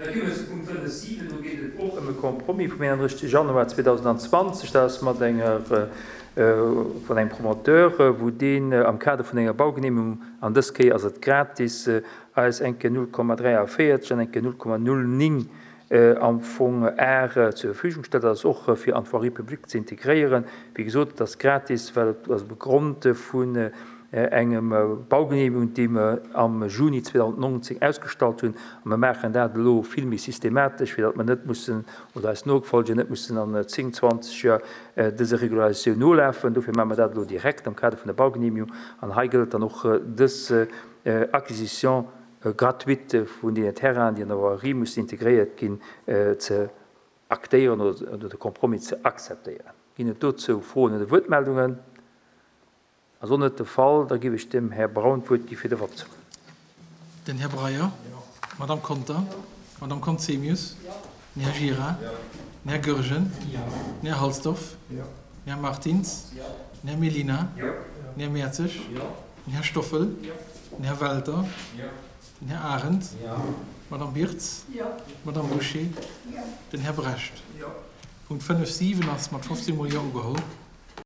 Da gi mer zu Punkt 5, 7. Do geet et och ëm e Compromis vum 31. Januar 2020. Dat ass mat enger, vun engem Promoteur, wou deen am Kader vun enger Baugenehmegung, an dës Kéier ass et gratis, eis eng Kéier 0,43 an eng Kéier 0,09 am Fong Ar zur Verfügung stellt. Dat ass och fir an d'Voirie publique ze integréieren. Wéi gesot, et ass gratis, well et ass op Grond vun engem Baugenehmigung, déi mer am Juni 2019 ausgestallt hunn. A mer maachen dat elo vill méi systematesch, fir datt mer net mussen, oder eis Nofolger net mussen an 10, 20 Joer dëser Regularisatioun nolafen. Dofir maache mer dat elo direkt am Kader vun der Baugenehmigung. An hei gëllt dann och dës Acquisition gratuite vun deenen Terrainen, déi an der Voirie mussen integréiert ginn, ze aktéieren oder de Compromis ze akzeptéieren. Ginn et dozou Froen oder Wuertmeldungen? Ass och net de Fall. Da géif ech dem Här Braun d'Wuert gi fir de Vott. Den Här Breyer. D'Madame Conter. D'Madame Conzemius. Den Här Gira. Den Här Goergen. Den Här Halsdorf. Den Här Martins. Den Här Mellina. Den Här Mertzig. Den Här Stoffel. Den Här Welter. Den Här Arendt. D'Madame Birtz. D'Madame Bouché. Den Här Brecht. Punkt 5, 7 ass mat 15 mol Jo ugeholl.